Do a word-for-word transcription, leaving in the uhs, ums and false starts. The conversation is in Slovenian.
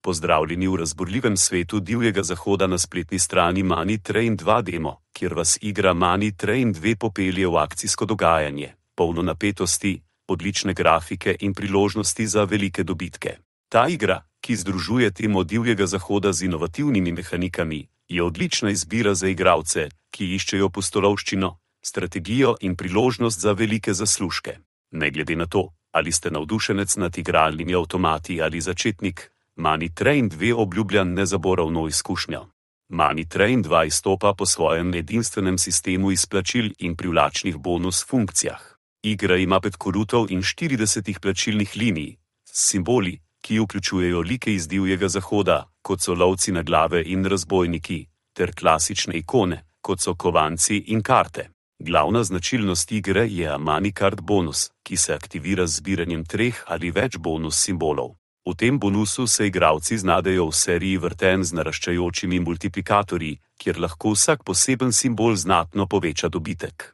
Pozdravljeni v razburljivem svetu divjega zahoda na spletni strani Money Train dva Demo, kjer vas igra Money Train dva popelje v akcijsko dogajanje, polno napetosti, odlične grafike in priložnosti za velike dobitke. Ta igra, ki združuje temo divjega zahoda z inovativnimi mehanikami, je odlična izbira za igralce, ki iščejo pustolovščino, strategijo in priložnost za velike zaslužke. Ne glede na to, ali ste navdušenec nad igralnimi avtomati ali začetnik, Money Train dva obljublja nezaboravno izkušnjo. Money Train dva izstopa po svojem edinstvenem sistemu izplačil in privlačnih bonus funkcijah. Igra ima pet korutov in štirideset plačilnih linij, s simboli, ki vključujejo like iz divjega zahoda, kot so lovci na glave in razbojniki, ter klasične ikone, kot so kovanci in karte. Glavna značilnost igre je Money Card bonus, ki se aktivira z zbiranjem treh ali več bonus simbolov. V tem bonusu se igralci znajdejo v seriji vrtenj z naraščajočimi multiplikatorji, kjer lahko vsak poseben simbol znatno poveča dobitek.